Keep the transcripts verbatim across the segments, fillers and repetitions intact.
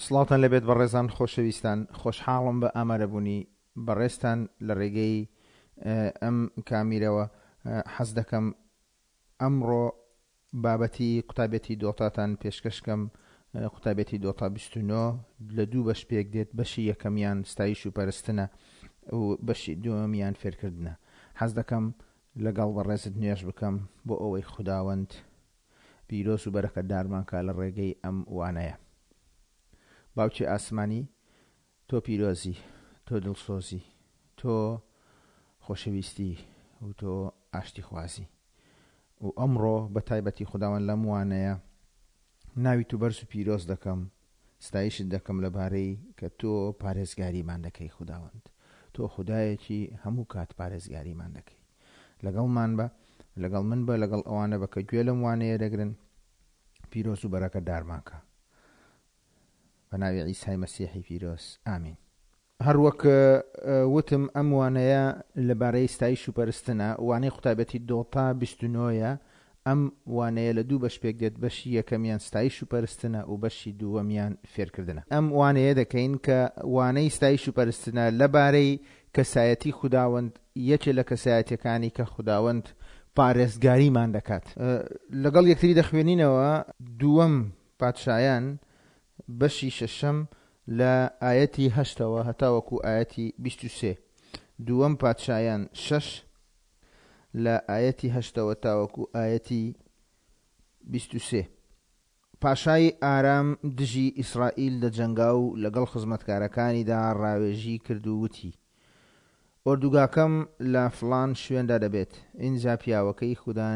سڵاوتان لێبێت بەڕێزان خۆشەویستان، خۆشحاڵم بە ئامادەبوونی بەڕێزتان لە ڕێگەی ئەم کامیرەوە. حەز دەکەم ئەمڕۆ بابەتی قوتابێتی دۆتاتان پێشکەشکەم. قوتابێتی دۆتا بیست و نۆ لە دوو بەش پێک دێت، بەشی یەکەمیان ستایش و پەرستنە و بەشی دووەمیان فێرکردنە. حەز دەکەم لەگەڵ بەڕێزت نوێژ بکەم بۆ ئەوەی خوداوەند پیرۆز و بەرەکەتدارمان کا لە ڕێگەی ئەم وانەیە. باوکی ئاسمانی، تۆ پیرۆزی، تۆ دڵسۆزی، تۆ خۆشەویستی و تۆ ئاشتیخوازی. و ئەمڕۆ بە تایبەتی خوداوەند لەم وانەیە ناوی تو بەرز و پیرۆز دەکەم، ستایشت دەکەم لەبارەی کە تۆ پارێزگاریمان دەکەی. خوداوەند تۆ خودایەکی هەموو کات پارێزگاریمان دەکەی. لەگەڵمان بە، لەگەڵ من بە، لەگەڵ ئەوانە بە کە گوێ لەم وانەیە دەگرن، پیرۆز و بەرەکەتدارمان کە. بە ناوی عیسای مەسیحی پیرۆز، ئامین. هەروەک وتم ئەم وانەیە لەبارەی ستایش و پەرستنە، وانەی قوتابەتی دۆتا بیست و نۆیە. ئەم وانەیە لە دوو بەش پێک دێت، بەشی یەکەمیان ستایش و پەرستنە و بەشی دووەمیان فێرکردنە. ئەم وانەیە دەکەین کە وانەی ستایش و پەرستنە لەبارەی کەسایەتی خوداوەند، یەکێ لە کەسایەتیەکانی کە خوداوەند پارێزگاریمان دەکات. لەگەڵ یەکتری دەخوێنینەوە دووەم پادشایان بەشی شەشەم لە ئایەتی هەشتەوە هەتاوەکو ئایەتی بیست و سێ. دووەم پادشایان شەش لە ئایەتی هەشتەوە تاوەکو ئایەتی بیست و سێ. پاشای ئارام دژی ئیسرائیل دەجەنگا و لەگەڵ خزمەتکارەکانیدا ڕاوێژی کرد و وتی: ئۆردوگاکەم لە فڵان شوێندا دەبێت. ئینجا پیاوەکەی خودا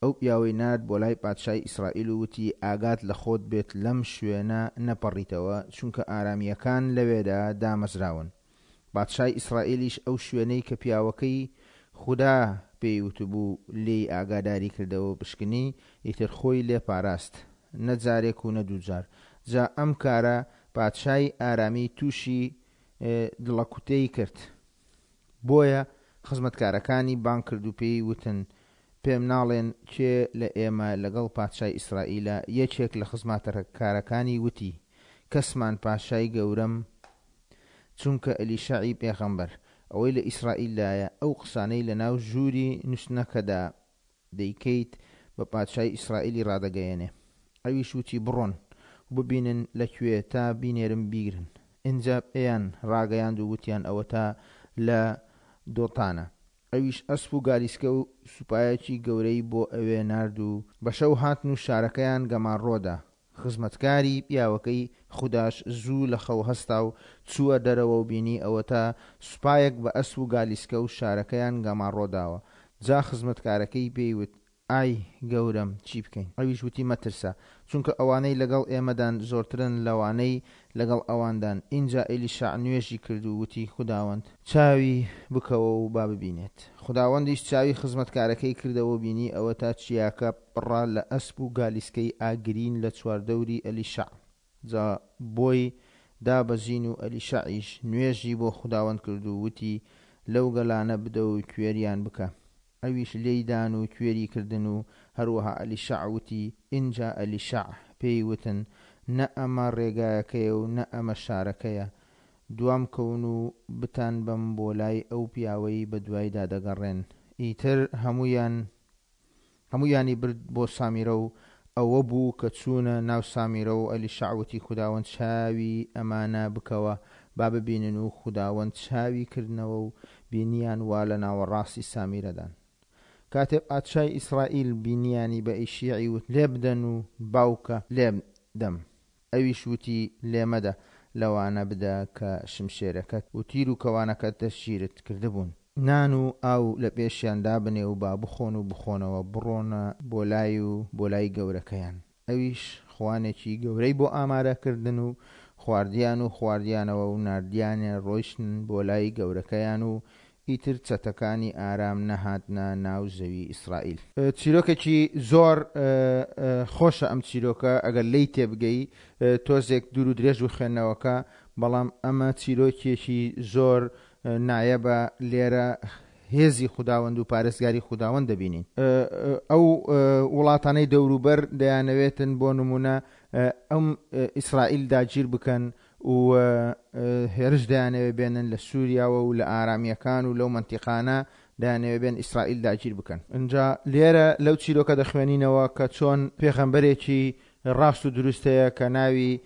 ئەو پیاوەی نارد بۆ لای پادشای ئیسرائیل و وتی: ئاگات لە خۆت بێت لەم شوێنە نەپەڕیتەوە، چونکە ئارامییەکان لەوێدا دامەزراون. پادشای ئیسرائیلیش ئەو شوێنەی کە پیاوەکەی خودا پێی وتبوو لێی ئاگاداری کردەوە پشکنی، ئیتر خۆی لێ پاراست، نە جارێک و نە دوو جار. جا ئەم کارە پادشای ئارامی تووشی دڵەکوتەی کرد، بۆیە خزمەتکارەکانی بانگ کرد و پێی وتن: پێم ناڵێن کێ لە ئێمە لەگەڵ پادشای ئیسرائیلە؟ یەکێک لە خزمەتکارەکانی وتی: کەسمان پاشای گەورەم، چونکە ئەلیشەعی پێغەمبەر ئەوەی لە ئیسرائیلدایە ئەو قسانەی لە ناو ژووری نووسنەکەدا دەیکەیت بە پادشای ئیسرائیلی ڕادەگەیەنێ. ئەویش وتی: بڕۆن و ببینن لەکوێ تا بینێرم بیگرن. ئینجا پێیان ڕاگەیاند و وتیان: ئەوە تا لە دۆتانە. ئەویش ئەسپ و گالیسکە و سوپایەکی گەورەی بۆ ئەوێ نارد و بە شەو هاتن و شارەکەیان گەمارۆدا. خزمەتکاری پیاوەکەی خوداش زوو لە خەو هەستا و چووە دەرەوە و بینی ئەوە تا سوپایەک بە ئەسپ و گالیسکە و شارەکەیان گەمارۆداوە. جا خزمەتکارەکەی پێی وت: ئای گەورەم، چی بکەین؟ ئەویش وتی: مەترسە، چونکە ئەوانەی لەگەڵ ئێمەدان زۆرترن لەوانەی لەگەڵ ئەواندان. ئینجا ئەلیشەع نوێژی کرد و وتی: خوداوەند چاوی بکەوە و با ببینێت. خوداوەندیش چاوی خزمەتکارەکەی کردەوە و بینی ئەوە تا چیاکە پڕە لە ئەسپ و گالیسکەی ئاگرین لە چواردەوری ئەلیشەع. جا بۆی دابەزین و ئەلیشەعیش نوێژی بۆ خوداوەند کرد و وتی: لەو گەلانە بدە و کوێریان بکە. ئەویش لێیدان و کوێری کردن و هەروەها ئەلیشەع وتی. ئینجا ئەلیشەع پێی وتن: نە ئەمە ڕێگایەکەیە و نە ئەمە شارەکەیە، دوام کەون و بتان بەم بۆ لای ئەو پیاوەی بەدوایدا دەگەڕێن. ئیتر هەمویان هەمویانی برد بۆ سامیرە و ئەوە بوو کە چوونە ناو سامیرە و ئەلیشەع وتی: خوداوەند چاوی ئەمانە بکەوە با ببینن. و خوداوەند چاوی کردنەوە و بینیان وا لە ناوەڕاستی سامیرەدان. کاتێ پادشای ئیسرائیل بینیانی بە ئیشیعی وت: لێبدەن و باوکە لێبدەم. ئەویش وتی: لێمەدە، لەوانە بدە کە شمشێرەکەت و تیر و کەوانەکەت دەستگیرت کردبوون. نان و ئاو لە پێشیان دابنێ و با بخۆن و بخۆنەوە، بڕۆنە بۆ لای و بۆ لای گەورەکەیان. ئەویش خوانێکی گەورەی بۆ ئامادەکردن و خواردیان و خواردیانەوە و ناردیانێ ڕۆیشتن بۆ لای گەورەکەیان و ئیتر چەتەکانی ئارام نەهاتنە ناو زەوی ئیسرائیل. چیرۆکێکی زۆر خۆشە ئەم چیرۆکە، ئەگەر لێی تێبگەی تۆزێک دوور و درێژ و خوێندنەوەکە، بەڵام ئەمە چیرۆکێکی زۆر نایەبە. لێرە هێزی خوداوەند و پارێزگاری خوداوەند دەبینین. ئەو وڵاتانەی دەوروبەر دەیانەوێتن بۆ نمونە ئەم ئیسرائیل داگیر بکەن و هێرش دەیانەوێ بێنن لە سووریاوە و لە ئارامیەکان و لەو مەنتیقانە دەیانەوێ بێن ئیسرائیل داگیر بکەن. ئینجا لێرە لەو چیرۆکە دەخوێنینەوە کە چۆن پێغەمبەرێکی ڕاست و دروستەیە کە ناوی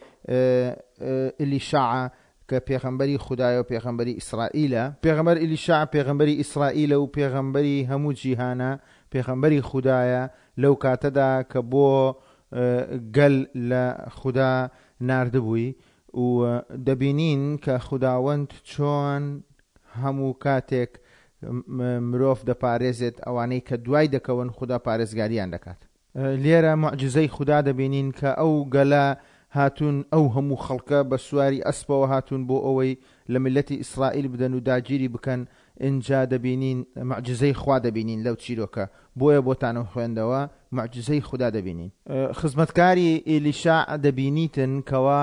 ئلیشاع کە پێغەمبەری خودایە و پێغەمبەری ئیسرائیلە. پێغەمبەر ئلیشاع پێغەمبەری ئیسرائیلە و پێغەمبەری هەموو جیهانە، پێغەمبەری خودایە لەو کاتەدا کە بۆ گەل لە خودا ناردبووی و دەبینین کە خوداوەند چۆن هەموو کاتێک مرۆڤ دەپارێزێت، ئەوانەی کە دوای دەکەون خودا پارێزگاریان دەکات. لێرە معجزەی خودا دەبینین کە ئەو گەلە هاتوون، ئەو هەموو خەڵکە بە سواری ئەسپەوە هاتوون بۆ ئەوەی لە میللەتی ئیسرائیل بدەن و داگیری بکەن. ئینجا دەبینین معجزەی خوا دەبینین لەو چیرۆکە، بۆیە بۆتانم خوێندەوە معجزەی خودا دەبینین. خزمەتکاری ئێلیشاع دەبینیتن کەوا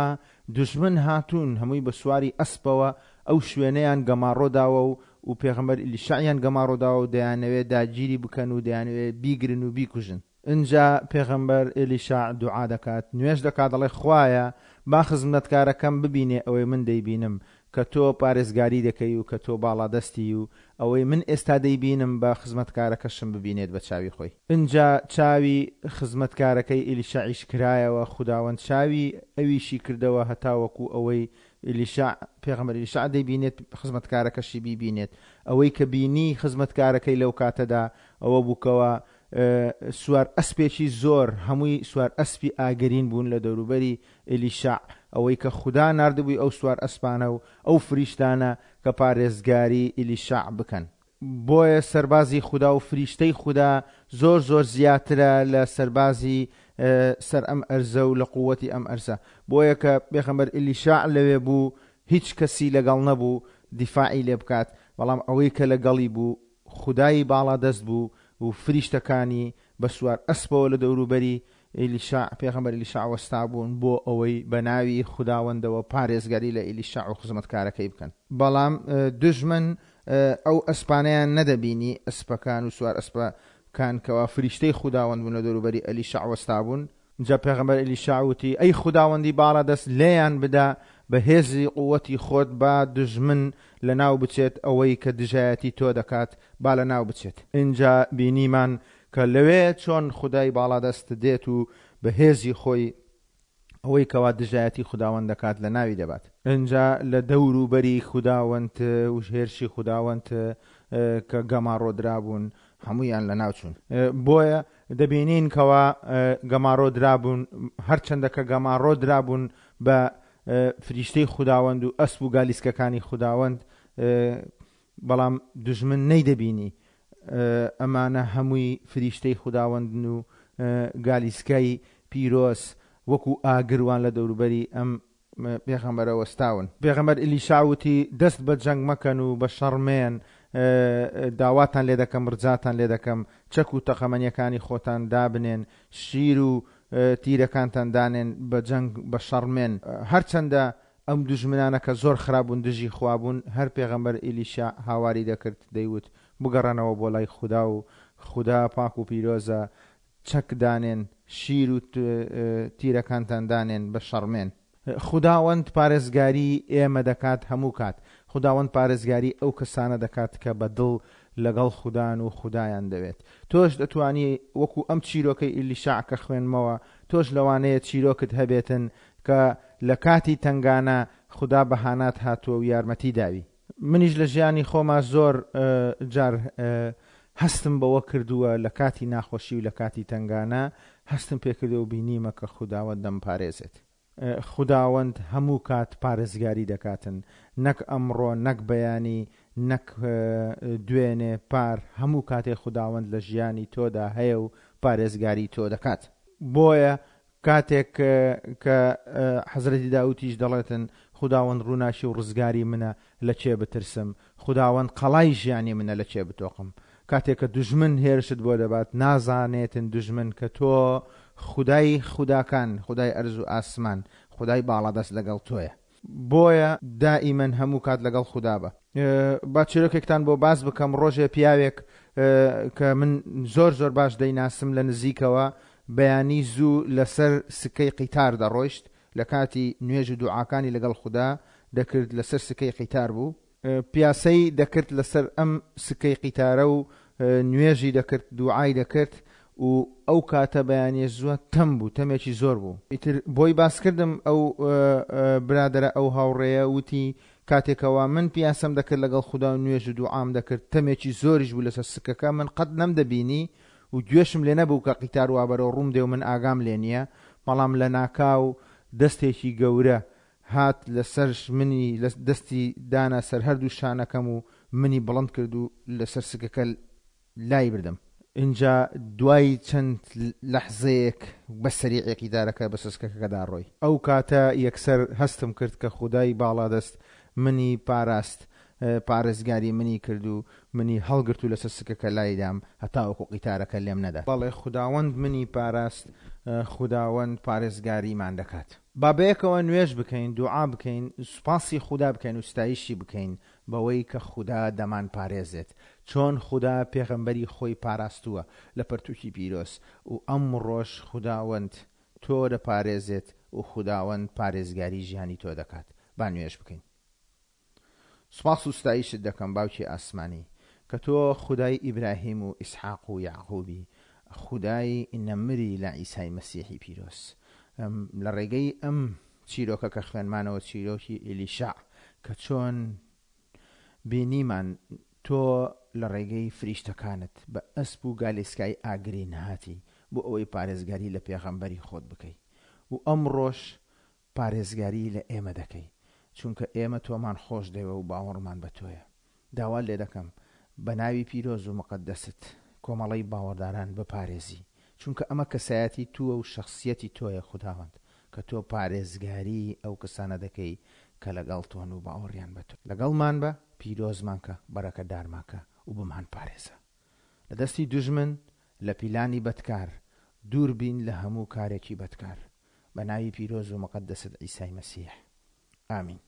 دوژمن هاتوون هەمووی بە سواری ئەسپەوە ئەو شوێنەیان گەماڕۆ داوە و و پێغەمبەر ئیلیشاعیان گەماڕۆ داوە و دەیانەوێت داگیری بکەن و دەیانەوێت بیگرن و بیکوژن. ئینجا پێغەمبەر ئێلیشاع دوعا دەکات، نوێژ دەکات، دەڵێ خوایە با خزمەتکارەکەم ببینێ ئەوەی من دەیبینم، کە تۆ پارێزگاری دەکەی و کە تۆ باڵادەستی و ئەوەی من ئێستا دەیبینم بە خزمەتکارەکەشم ببینێت بە چاوی خۆی. ئینجا چاوی خزمەتکارەکەی ئێلیشاعیش کرایەوە، خوداوەند چاوی ئەویشی کردەوە هەتاوەکو ئەوەی ئێلیشاع پێغەمبەر ئێلیشاع دەیبینێت خزمەتکارەکەشی بیبینێت. ئەوەی کە بینی خزمەتکارەکەی لەو کاتەدا ئەوە بووکەوە سوار ئەسپێکی زۆر، هەمووی سوار ئەسپی ئاگرین بوون لە دەوروبەری ئێلیشاع، ئەوەی کە خودا ناردبووی ئەو سوار ئەسپانە و ئەو فریشتانە کە پارێزگاری ئێلیشاع بکەن. بۆیە سەربازی خودا و فریشتەی خودا زۆر زۆر زیاترە لە سەربازی سەر ئەم ئەرزە و لە قووەتی ئەم ئەرزە. بۆیە کە پێغەمبەر ئێلیشاع لەوێ بوو هیچ کەسی لەگەڵ نەبوو دیفاعی لێ بکات، بەڵام ئەوەی کە لەگەڵی بوو خودای باڵادەست بوو و فریشتەکانی بە سوار ئەسپەوە لە دەوروبەری ئێلیشاع پێغەمبەر ئێلیشاع وەستا بوون بۆ ئەوەی بە ناوی خوداوەندەوە پارێزگاری لە ئێلیشاع و خزمەتکارەکەی بکەن. بەڵام دوژمن ئەو ئەسپانەیان نەدەبینی، ئەسپەکان و سوار ئەسپەکان کەوا فریشتەی خوداوەند بوون لە دەوروبەری ئەلیشاع وەستا بوون. جا پێغەمبەر ئێلیشاع وتی ئەی خوداوەندی باڵادەست لێیان بدە بە هێزی قووەتی خۆت، با دوژمن لەناو بچێت، ئەوەی کە دژایەتی تۆ دەکات با لەناو بچێت. ئینجا بینیمان کە لەوێ چۆن خودای باڵادەست دێت و بە هێزی خۆی ئەوەی کەوا دژایەتی خوداوەند دەکات لە ناوی دەبات. ئینجا لە دەوروبەری خوداوەند و هێرشی خوداوەند کە گەماڕۆ درابوون هەموویان لەناو چوون. بۆیە دەبینین کەوا گەماڕۆ درابوون، هەرچەندە کە گەماڕۆ درابوون بە فریشتەی خوداوەند و ئەسپ و گالیسکەکانی خوداوەند، بەڵام دوژمن نەیدەبینی ئەمانە هەمووی فریشتەی خوداوەندن و گالیسکای پیرۆز وەکو ئاگروان لە دەوروبەری ئەم پێغەمبەرە وەستاون. پێغەمبەر ئێلیشاع وتی دەست بە جەنگ مەکەن و بە شەڕ مێن، داواتان لێ دەکەم، ڕجاتان لێ دەکەم، چەک و تەقەمەنیەکانی خۆتان دابنێن، شیر و تیرەکانتان دانێن، بە جەنگ بە شەڕ مێن. هەرچەندە ئەم دوژمنانە کە زۆر خراپبوون دژی خوا بوون، هەر پێغەمبەر ئێلیشاع هاواری دەکرد دەیوت بگەڕێنەوە بۆ لای خودا و خودا پاک و پیرۆزە، چەک دانێن، شیر و تیرەکانتان دانێن، بە شەڕمێن. خوداوەند پارێزگاری ئێمە دەکات هەموو کات. خوداوەند پارێزگاری ئەو کەسانە دەکات کە بە دڵ لەگەڵ خودان و خودایان دەوێت. تۆش دەتوانی وەکو ئەم چیرۆکەی ئێلیشاع کە خوێنمەوە، تۆش لەوانەیە چیرۆکت هەبێتن کە لە کاتی تەنگانە خودا بەهانات هاتووە و یارمەتی داوی. منیش لە ژیانی خۆما زۆر جار هەستم بەوە کردووە لە کاتی ناخۆشی و لە کاتی تەنگانە هەستم پێکردووە و بینیمە کە خوداوەند دەمپارێزێت. خوداوەند هەموو کات پارێزگاری دەکاتن، نەک ئەمڕۆ، نەک بەیانی، نەک دوێنێ پار، هەموو کاتێ خوداوەند لە ژیانی تۆدا هەیە و پارێزگاری تۆ دەکات. بۆیە کاتێک کە حەزرەتی داوودیش دەڵێتن خوداوەند ڕووناکی و ڕزگاری منە لە کێ بترسم، خوداوەند قەڵای ژیانی منە لە کێ بتۆقم. کاتێک کە دوژمن هێرشت بۆ دەبات نازانێتن دوژمن کە تۆ خودای خوداکان، خودای ئەرز و ئاسمان، خودای باڵادەست لەگەڵ تۆیە. بۆیە دائیمەن هەموو کات لەگەڵ خودا بە. با چیرۆکێکتان بۆ باس بکەم. ڕۆژێ پیاوێک کە من زۆر زۆر باش دەیناسم لە نزیکەوە، بەیانی زوو لەسەر سکەی قیتار دەڕۆیشت، لە کاتی نوێژ و دوعاکانی لەگەڵ خودا دەکرد لەسەر سکەی قیتار بوو، پیاسەی دەکرد لەسەر ئەم سکەی قیتارە و نوێژی دەکرد، دوعای دەکرد و ئەو کاتە بەیانیە زووە تەم بوو، تەمێکی زۆر بوو. ئیتر بۆی باسکردم ئەو برادەرە، ئەو هاوڕێیە وتی کاتێکەوە من پیاسەم دەکرد لەگەڵ خودا و نوێژ و دوعام دەکرد، تەمێکی زۆریش بوو لەسەر سکەکە، من قەت نەمدەبینی و گوێشم لێ نەبوو کە قیتار وا بەرەو ڕووم دێ و من ئاگام لێ نییە، بەڵام لە ناکاو دەستێکی گەورە هات لەسەر منی، دەستی دانا سەر هەردوو شانەکەم و منی بڵند کرد و لەسەر سکەکە لای بردم. اینجا دوای چەند لەحزەیەک بە سەریعی قیتارەکە بە سکەکەدا ڕۆی. ئەو کاتە یەکسەر هەستم کرد کە خودای باڵادەست منی پاراست، پارێزگاری منی کرد و منی هەڵگرت و لەسەر سکەکە لایدام هەتاوەکو قیتارەکە لێم نەدا. بەڵێ خوداوەند منی پاراست، خوداوەند پارێزگاریمان دەکات. با بەیەکەوە نوێژ بکەین، دوعا بکەین، سوپاسی خودا بکەین و ستایشی بکەین بەوەی کە خودا دەمان پارێزێت. چۆن خودا پێغەمبەری خۆی پاراستووە لە پەرتوکی پیرۆز و ئەمڕۆش خوداوەند تۆ دەپارێزێت و خوداوەند پارێزگاری ژیانی تۆ دەکات. با نوێژ بکەین. سوپاس و ستایشت دەکەم باوکی ئاسمانی کە تۆ خودای ئیبراهیم و ئیسحاق و یعقوبی، خودای نەمری لە عیسای مەسیحی پیرۆز. لە ڕێگەی ئەم چیرۆکە کە خوێنمانەوە، چیرۆکی ئیلیشع، کە چۆن بینیمان تۆ لە ڕێگەی فریشتەکانت بە ئەسپ و گالیسکای ئاگرین هاتی بۆ ئەوەی پارێزگاری لە پێغەمبەری خۆت بکەی و ئەمڕۆش پارێزگاری لە ئێمە دەکەی، چونکە ئێمە تۆمان خۆش دەوێ و باوەڕمان بە تۆیە. داوا لێ دەکەم بە ناوی پیرۆز و مقەدەست کۆمەڵەی باوەڕداران بپارێزی، چونکە ئەمە کەسایەتی تووە و شخصیەتی تۆیە خوداوەند، کە تۆ پارێزگاری ئەو کەسانە دەکەی کە لەگەڵ تۆن و باوەڕیان بە تۆ. لەگەڵمان بە، پیرۆزمان کە، بەرەکەدارمان کە و بمان پارێزە لە دەستی دوژمن، لە پیلانی بەدکار، دوور بین لە هەموو کارێکی بەدکار. بە ناوی پیرۆز و مقەدەست عیسای مەسیح، ئامین.